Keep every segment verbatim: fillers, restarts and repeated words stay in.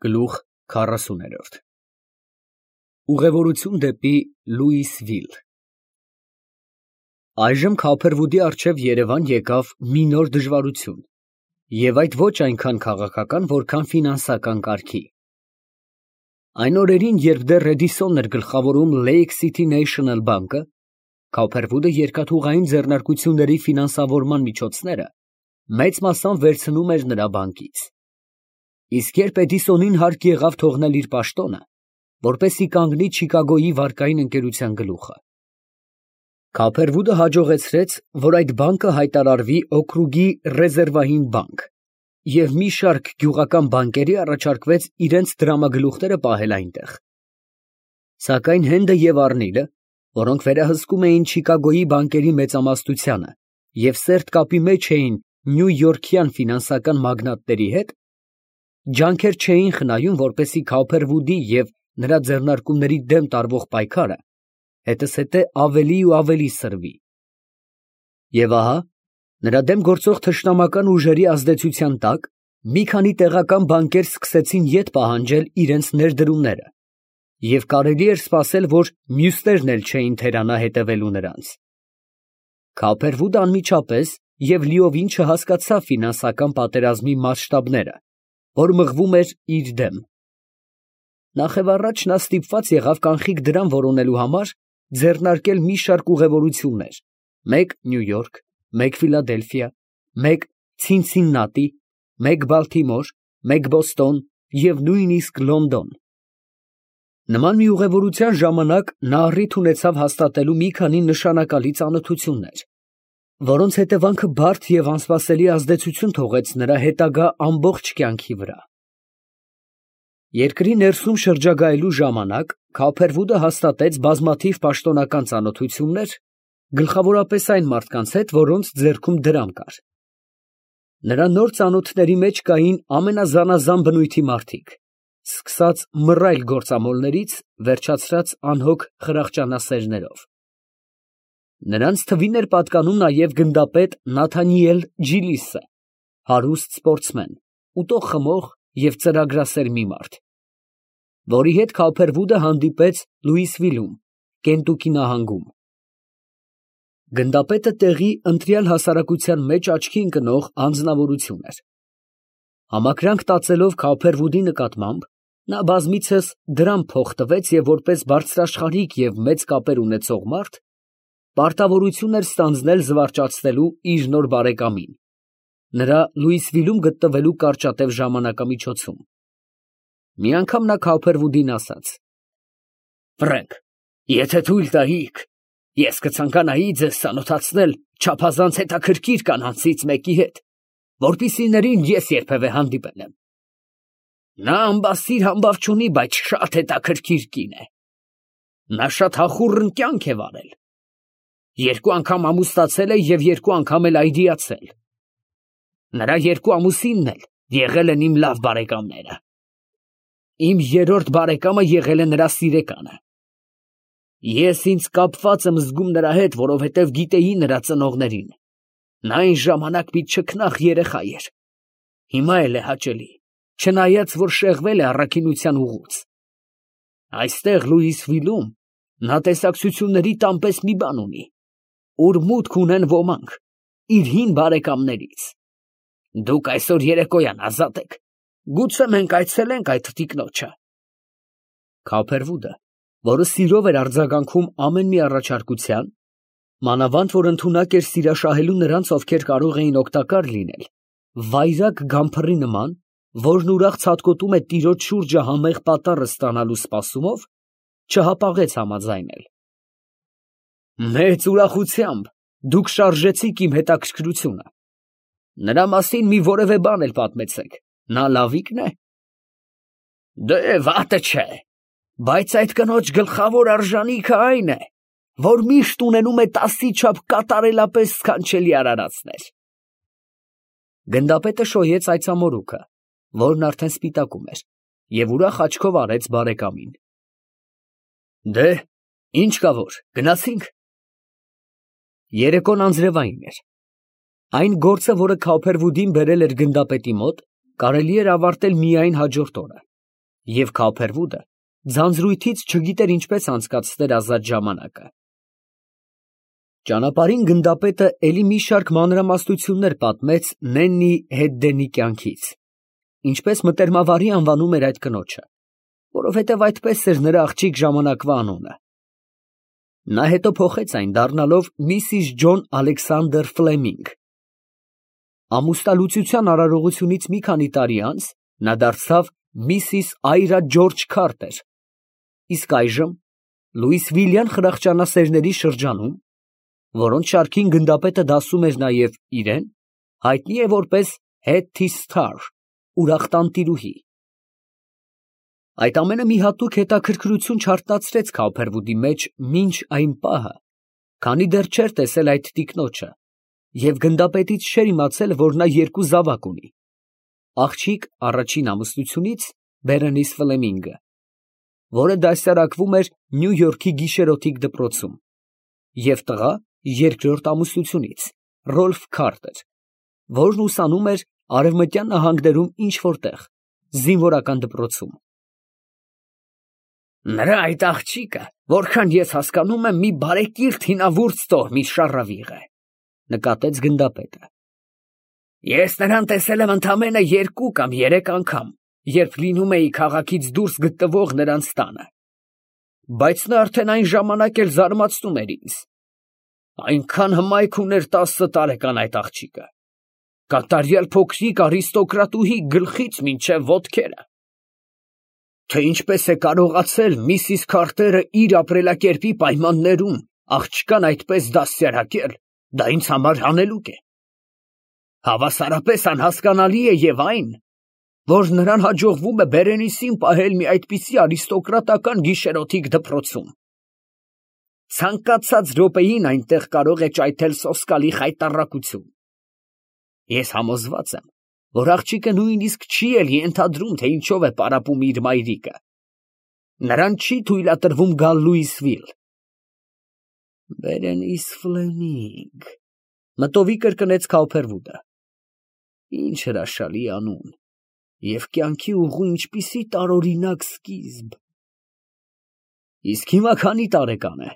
Գլուխ քառասուն։ Ուղևորություն դեպի Լուիսվիլ։ Այժմ Քափերվուդի առջև Երևան եկավ մի նոր դժվարություն, և այդ ոչ այնքան քաղաքական, որքան ֆինանսական կարգի։ Այն օրերին, երբ դեռ Էդիսոնն էր գլխավորում Lake City National բանկը, Քափերվուդը երկաթուղային ձեռնարկությունների ֆինանսավորման միջոցները մեծ մասամբ վերցնում էր նրա բանկից։ Իսկ երբ Էդիսոնին հարկ եղավ թողնել իր պաշտոնը, որպեսզի կանգնի Չիկագոյի վարկային ընկերության գլուխը, Քափերվուդը հաջողեցրեց, որ այդ բանկը հայտարարվի օկրուգի ռեզերվային բանկ, և մի շարք գյուղական բանկերի առաջարկվեց իրենց դրամագլուխները պահել այնտեղ։ Սակայն Հենդը և Առնիլը, որոնք վերահսկում էին Չիկագոյի բանկերի մեծամասնությանը և սերտ կապի մեջ էին նյույորքյան ֆինանսական մագնատների հետ, ջանքեր չէին խնայում, որպեսզի Քափերվուդի և նրա ձեռնարկումների դեմ տարվող պայքարը հետզհետե ավելի ու ավելի սրվի։ Եվ ահա, նրա դեմ գործող թշնամական ուժերի ազդեցության տակ, մի քանի տեղական բանկեր սկսեցին ետ պահանջել իրենց ներդրումները, և կարելի էր սպասել, որ մյուսներն էլ չէին թերանա հետևելու նրանց։ Քափերվուդը անմիջապես և լիովին չհասկացավ ֆինանսական պատերազմի մասշտաբները, որ մղվում էր իր դեմ։ Նախևառաջ նա ստիպված եղավ կանխիկ դրամ որոնելու համար ձեռնարկել մի շարք ուղևորություններ, մեկ Նյույորք, մեկ Ֆիլադելֆիա, մեկ Ցինցիննատի, մեկ Բալթիմոր, մեկ Բոստոն և նույնիսկ Լոնդոն։ Նման մի ուղևորության ժամանակ նա առիթ ունեցավ հաստատելու մի քանի նշանակալի ծանոթություններ, որոնց հետևանքը բարդ և անսպասելի ազդեցություն թողեց նրա հետագա ամբողջ կյանքի վրա։ Երկրի ներսում շրջագայելու ժամանակ Քափերվուդը հաստատեց բազմաթիվ պաշտոնական ծանոթություններ, գլխավորապես այն մարդկանց հետ, որոնց ձեռքում դրամ կար։ Նրա նոր ծանոթների մեջ կային ամենազանազան բնույթի մարդիկ, սկսած մռայլ գործամոլներից, վերջացրած անհոգ խրախճանասերներով։ Նրանց թվին էր պատկանում նաև գնդապետ Նաթանիել Ջիլիսը, հարուստ սպորտսմեն, ուտող֊խմող և ծրագրասեր մի մարդ, որի հետ Քափերվուդը հանդիպեց Լուիսվիլում, Կենտուկի նահանգում։ Գնդապետը տեղի ընտրյալ հասարակության մեջ աչքի ընկնող անձնավորություն էր։ Համակրանք տածելով Քափերվուդի նկատմամբ, նա բազմիցս դրամ փող տվեց և որպես բարձրաշխարհիկ և մեծ կապեր ունեցող մարդ, պարտավորություն էր ստանձնել զվարճացնելու իր նոր բարեկամին, նրա Լուիսվիլում գտնվելու կարճատև ժամանակամիջոցում։ Մի անգամ նա Քափերվուդին ասաց. «Ֆրենք, եթե թույլ տայիք, ես կցանկանայի ձեզ ծանոթացնել չափազանց հետաքրքիր կանանցից մեկի հետ, որպիսիներին ես երբևէ հանդիպել եմ։ Նա ամբասիր֊համբավ չունի, բայց շատ հետաքրքիր կին է։ Նա շատ հախուռն կյանք է վարել. երկու անգամ ամուսնացել է և երկու անգամ էլ այրիացել։ Նրա երկու ամուսինն էլ եղել են իմ լավ բարեկամները։ Իմ երրորդ բարեկամը եղել է նրա սիրեկանը։ Ես ինձ կապված եմ զգում նրա հետ, որովհետև գիտեի նրա ծնողներին. նա այն ժամանակ մի չքնաղ երեխա էր, հիմա էլ է հաճելի, չնայած որ շեղվել է առաքինության ուղուց։ Այստեղ Լուիսվիլում նա տեսակցությունների տան պես մի բան ունի, ուր մուտք ունեն ոմանք իր հին բարեկամներից։ Դուք այսօր երեկոյան ազատ եք, գուցե մենք այցելենք այդ տիկնոջը»։ Քափերվուդը, որը սիրով էր արձագանքում ամեն մի առաջարկության, մանավանդ որ ընդունակ էր սիրաշահելու նրանց, ովքեր կարող էին օգտակար լինել, վայրագ գամփռի նման, որն ուրախ ցատկոտում է տիրոջ շուրջը համեղ պատառը ստանալու սպասումով, չհապաղեց համաձայնել։ «Մեծ ուրախությամբ դուք շարժեցիք իմ հետաքրքրությունը։ Նրա մասին մի որևէ բան էլ պատմեցեք, նա լավիկն է»։ «Դե վատը չէ, բայց այդ կնոջ գլխավոր արժանիքը այն է, որ միշտ ունենում է տասի չափ կատարելապես սքանչելի արարածներ»։ Գնդապետը շոյեց այծամորուքը, որն արդեն սպիտակում էր, և ուրախ աչքով արեց բարեկամին։ «Դե, ինչ կա որ, գնացինք»։ Երեկոն անձրևային էր։ Այն գործը, որը Քափերվուդին բերել էր գնդապետի մոտ, կարելի էր ավարտել միայն հաջորդ օրը։ Եվ Քափերվուդը ձանձրույթից չգիտեր ինչպես անցկացներ ազատ ժամանակը։ Ճանապարհին գնդապետը էլի մի շարք մանրամասնություններ պատմեց Նեննի Հեդդենի կյանքից, ինչպես մտերմավարի անվանում էր այդ կնոջը, որովհետև այդպես էր նրա աղջիկ ժամանակվա անունը։ Նա հետո փոխեց այն, դառնալով Միսիս Ջոն Ալեքսանդր Ֆլեմինգ։ Ամուսնալուծության արարողությունից մի քանի տարի անց նա դարձավ Միսիս Այրա Ջորջ Քարտեր, իսկ այժմ Լուիս Վիլյան խրախճանասերների շրջանում, որոնց շարքին գնդապետը դասում էր նաև իրեն, հայտնի է որպես Hetty Star, ուրախ տանտիրուհի։ Այդ ամենը մի հատուկ հետաքրքրություն չարտնացրեց Քափերվուդի մեջ մինչ այն պահը, քանի դեռ չէր տեսել այդ տիկնոջը, և գնդապետից չէր իմացել, որ նա երկու զավակ ունի. աղջիկ առաջին ամուսնությունից Բերենիս Ֆլեմինգը, որը դասյարակվում էր Նյու Յորքի գիշերօթիկ դպրոցում, և տղա երկրորդ ամուսնությունից Ռոլֆ Քարտեր, որն ուսանում էր Արևմտյան նահանգներում ինչ֊որ տեղ, զինվորական դպրոցում։ Նրա այդ աղջիկը, որքան ես հասկանում եմ, մի բարեկիրթ հինավուրց տոհմի շառավիղ է, նկատեց գնդապետը։ Ես նրան տեսել եմ ընդամենը երկու կամ երեք անգամ, երբ լինում էի քաղաքից դուրս գտնվող նրանց տանը, բայց նա արդեն այն ժամանակ էլ զարմացնում էր ինձ։ Այնքան հմայք ուներ տասը տարեկան այդ աղջիկը, կատարյալ փոքրիկ արիստոկրատուհի գլխից մինչև ոտքերը։ Թե ինչպես է կարողացել Միսիս Քարտերը իր ապրելակերպի պայմաններում աղջկան այդպես դաստիարակել, դա ինձ համար հանելուկ է։ Հավասարապես անհասկանալի է և այն, որ նրան հաջողվում է Բերենիսին պահել մի այդպիսի արիստոկրատական գիշերօթիկ դպրոցում։ Ցանկացած րոպեին այնտեղ կարող է ճայթել սոսկալի խայտառակություն։ Ես համոզված եմ, որ աղջիկը նույնիսկ չի էլ ենթադրում, թե ինչով է պարապում իր մայրիկը։ Նրան չի թույլատրվում գալ Լուիսվիլ։ Բերենիս Ֆլեմինգ, մտովի կրկնեց Քափերվուդը։ Ինչ հրաշալի անուն, և կյանքի ուղու ինչպիսի տարօրինակ սկիզբ։ Իսկ հիմա քանի տարեկան է,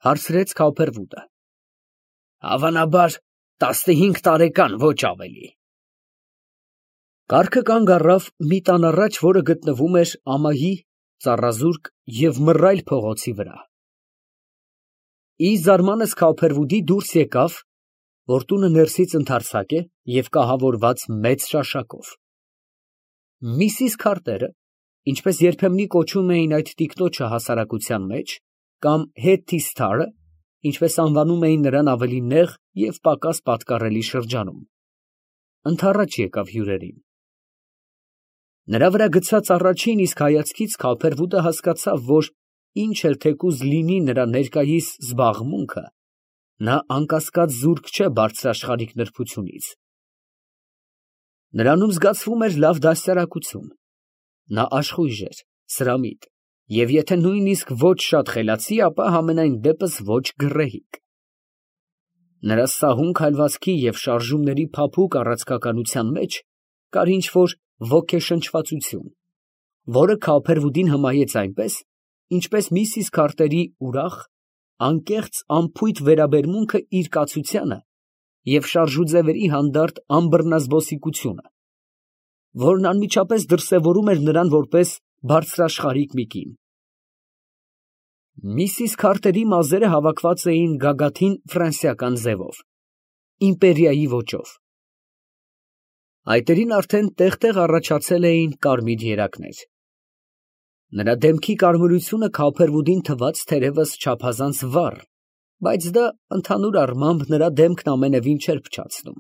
հարցրեց Քափերվուդը։ Հավանաբար տասնհինգ տարեկան, ոչ ավելի։ Կառքը կանգ առավ մի տան առաջ, որը գտնվում էր ամահի, ծառազուրկ և մռայլ փողոցի վրա։ Ի զարմանս Քափերվուդի դուրս եկավ, որ տունը ներսից ընդարձակ է և կահավորված մեծ շաշակով։ Միսիս Քարտերը, ինչպես երբեմնի կոչում էին այդ տիկնոջը հասարակության մեջ, կամ Hetty Star-ը, ինչպես անվանում էին նրան ավելի նեղ և պակաս պատկառելի շրջանում, ընդառաջ եկավ հյուրերին։ Նրա վրա գցած առաջին իսկ հայացքից Քափերվուդը հասկացավ, որ ինչ էլ թեկուզ լինի նրա ներկայիս զբաղմունքը, նա անկասկած զուրկ չէ բարձրաշխարհիկ նրբությունից։ Նրանում զգացվում էր լավ դաստիարակություն, նա աշխույժ էր, սրամիտ, և եթե նույնիսկ ոչ շատ խելացի, ապա համենայն դեպս ոչ գռեհիկ։ Նրա սահուն քայլվածքի և շարժումների փափուկ առաձգականության մեջ կար ինչ֊որ ոգեշնչվածություն, որը Քափերվուդին հմայեց այնպես, ինչպես Միսիս Քարտերի ուրախ, անկեղծ անփույթ վերաբերմունքը իր կացությանը և շարժուձևերի հանդարտ անբռնազբոսիկությունը, որն անմիջապես դրսևորում էր նրան որպես բարձրաշխարհիկ մի կին։ Միսիս Քարտերի մազերը հավաքված էին գագաթին ֆրանսիական ձևով, իմպերիայի ոճով։ Այտերին արդեն տեղ֊տեղ առաջացել էին կարմիր երակներ։ Նրա դեմքի կարմրությունը Քափերվուդին թվաց թերևս չափազանց վառ, բայց դա ընդհանուր առմամբ նրա դեմքն ամենևին չէր փչացնում։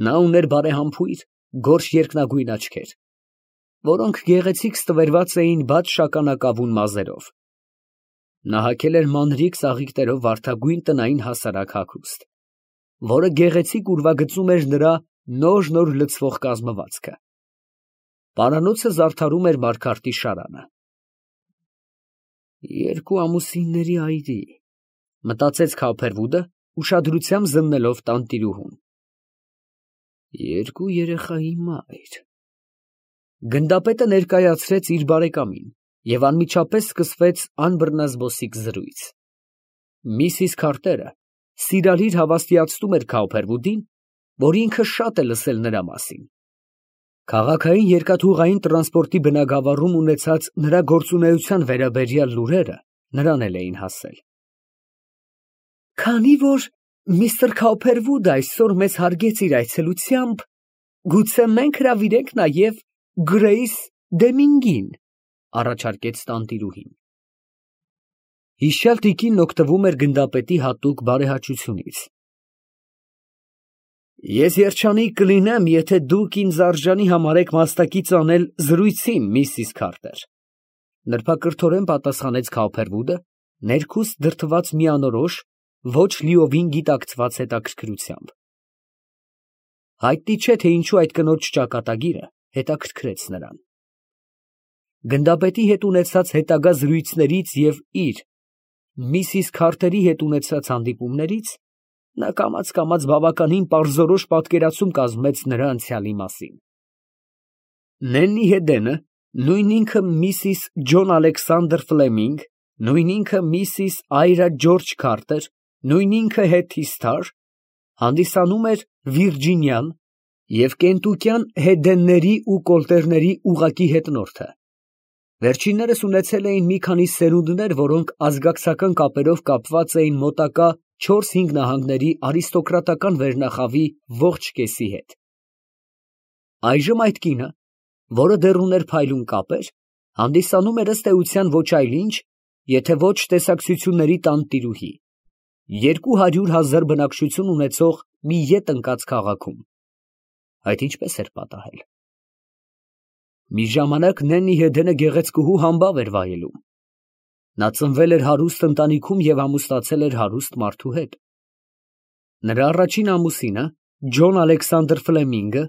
Նա ուներ բարեհամբույր, գորշ երկնագույն աչքեր, որոնք գեղեցիկ ստվերված էին բաց շագանակավուն մազերով։ Նա հագել էր մանրիկ ծաղիկներով վարդագույն տնային հասարակ հագուստ, որը գեղեցիկ ուրվագծում էր նրա նոր֊նոր լցվող կազմվածքը։ Պարանոցը զարդարում էր մարգարտի շարանը։ Երկու ամուսինների այրի, մտածեց Քափերվուդը, ուշադրությամբ զննելով տանտիրուհուն։ Երկու երեխայի մայր։ Գնդապետը ներկայացրեց իր բարեկամին և անմիջապես սկսվեց անբռնազբոսիկ զրույց։ Միսիս Քարտերը սիրալիր հավաստիացնում էր Քաուփերվուդին, որ ինքը շատ է լսել նրա մասին։ Քաղաքային երկաթուղային տրանսպորտի բնագավառում ունեցած նրա գործունեության վերաբերյալ լուրերը նրան էլ էին հասել։ Քանի որ միստր Քաուփերվուդը այսօր մեզ հարգեց իր այցելությամբ, գուցե մենք հրավիրենք նաև Գրեյս Դեմինգին, առաջարկեց տանտիրուհին։ Հիշյալ տիկինն օգտվում էր գնդապետի հատուկ բարեհաճությունից։ Ես երջանիկ կլինեմ, եթե դուք ինձ արժանի համարեք մասնակից անել զրույցին, միսիս Քարտեր, նրբակրթորեն պատասխանեց Քաուփերվուդը, ներքուստ դրդված մի անորոշ, ոչ լիովին գիտակցված հետաքրքրությամբ։ Հայտնի չէ, թե ինչու այդ կնոջ ճակատագիրը հետաքրքրեց նրան։ Գնդապետի հետ ունեցած հետագա զրույցներից և իր միսիս Քարտերի հետ ունեցած հանդիպումներից նա կամաց֊կամաց բավականին պարզորոշ պատկերացում կազմեց նրա անցյալի մասին։ Նեննի Հեդենը, նույն ինքը միսիս Ջոն Ալեքսանդր Ֆլեմինգ, նույն ինքը միսիս Այրա Ջորջ Քարտեր, նույն ինքը Հեթի Սթար, հանդիսանում էր Վիրջինիան և կենտուկյան Հեդենների ու Կոլտերների ուղղակի հետնորդը։ Վերջիններս ունեցել էին մի քանի սերունդներ, որոնք ազգակցական կապերով կապված էին մոտակա չորս֊հինգ նահանգների արիստոկրատական վերնախավի ողջ կեսի հետ։ Այժմ այդ կինը, որը դեռ ուներ փայլուն կապեր, հանդիսանում էր ըստ էության ոչ այլ ինչ, եթե ոչ տեսակցությունների տանտիրուհի, երկու հարյուր հազար բնակչություն ունեցող մի ետ ընկած քաղաքում։ Այդ ինչպես էր պատահել։ Մի ժամանակ Նեննի Հեդենը գեղեցկուհու համբավ էր վայելում։ Նա ծնվել էր հարուստ ընտանիքում և ամուսնացել էր հարուստ մարդու հետ։ Նրա առաջին ամուսինը, Ջոն Ալեքսանդր Ֆլեմինգը,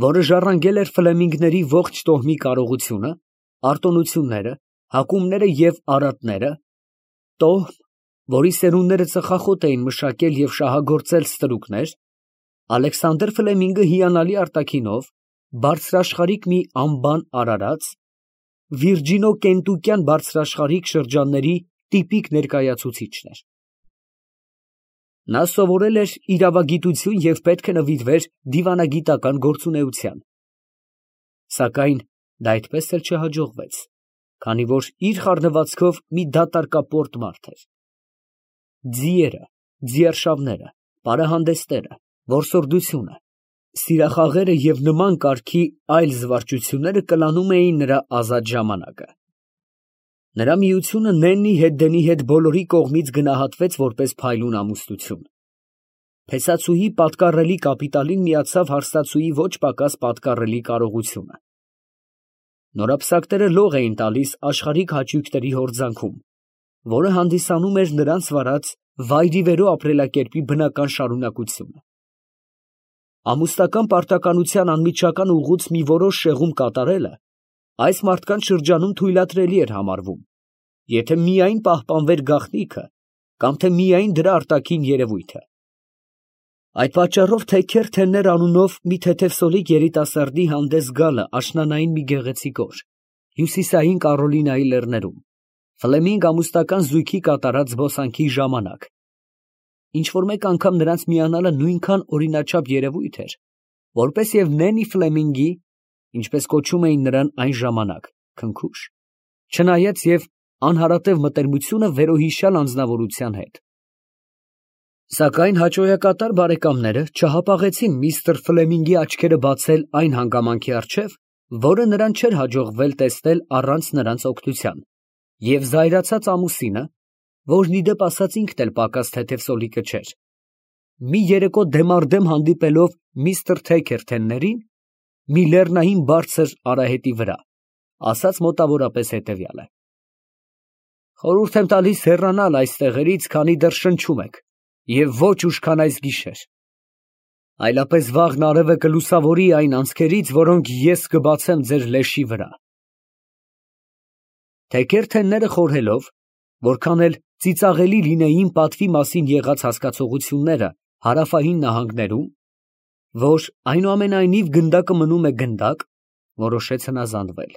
որը ժառանգել էր Ֆլեմինգների ողջ տոհմի կարողությունը, արտոնությունները, հակումները և արատները, տոհմ, որի սերունդները ծխախոտ էին մշակել և շահագործել ստրուկներ, Ալեքսանդր Ֆլեմինգը հիանալի արտաքինով, բարձրաշխարհիկ մի անբան արարած, վիրջինո֊կենտուկյան բարձրաշխարհիկ շրջանների տիպիկ ներկայացուցիչն էր։ Նա սովորել էր իրավագիտություն և պետք է նվիրվեր դիվանագիտական գործունեության։ Սակայն դա այդպես էլ չհաջողվեց, քանի որ իր խառնվածքով մի դատարկապորտ մարդ էր։ Ձիերը, ձիարշավները, պարահանդեսները, որսորդությունը, սիրախաղերը և նման կարգի այլ զվարճությունները կլանում էին նրա ազատ ժամանակը։ Նրա միությունը Նեննի Հեդենի հետ բոլորի կողմից գնահատվեց որպես փայլուն ամուսնություն։ Փեսացուի պատկառելի կապիտալին միացավ հարստացուի ոչ պակաս պատկառելի կարողությունը։ Նորապսակները լող էին տալիս աշխարհիկ հաճույքների հորձանքում, որը հանդիսանում էր նրանց վարած վայրիվերո ապրելակերպի բնական շարունակությունը։ Ամուսնական պարտականության անմիջական ուղուց մի որոշ շեղում կատարելը այս մարդկանց շրջանում թույլատրելի էր համարվում, եթե միայն պահպանվեր գաղտնիքը կամ թե միայն դրա արտաքին երևույթը։ Այդ պատճառով Թեքեր Թեններ անունով մի թեթևսոլիկ երիտասարդի հանդես գալը աշնանային մի գեղեցիկ օր, հյուսիսային Կարոլինայի լեռներում, Ֆլեմինգ ամուսնական զույգի կատարած զբոսանքի ժամանակ, ինչ֊որ մեկ անգամ նրանց միանալը նույնքան օրինաչափ երևույթ էր, որպես և Նեննի Ֆլեմինգի, ինչպես կոչում էին նրան այն ժամանակ, քնքուշ, չնայած և անհարատև մտերմությունը վերոհիշյալ անձնավորության հետ։ Սակայն հաճոյակատար բարեկամները չհապաղեցին միստր Ֆլեմինգի աչքերը բացել այն հանգամանքի առջև, որը նրան չէր հաջողվել տեսնել առանց նրանց օգնության, և զայրացած ամուսինը, որն ի դեպ ասած ինքն էլ պակաս թեթևսոլիկը չէր, մի երեկո դեմառդեմ հանդիպելով միստր Թեքեր Թեններին, մի լեռնային բարձր արահետի վրա, ասաց մոտավորապես հետևյալը. «Խորհուրդ եմ տալիս հեռանալ այս տեղերից, քանի դեռ շնչում եք, և ոչ ուշքան այս գիշեր, այլապես վաղն արևը կլուսավորի այն անցքերից, որոնք ես կբացեմ ձեր լեշի վրա»։ Թեքեր Թենները խորհելով, որքան էլ ծիծաղելի լինեին պատվի մասին եղած հասկացությունները հարավային նահանգներում, որ այնուամենայնիվ գնդակը մնում է գնդակ, Որոշեց հնազանդվել։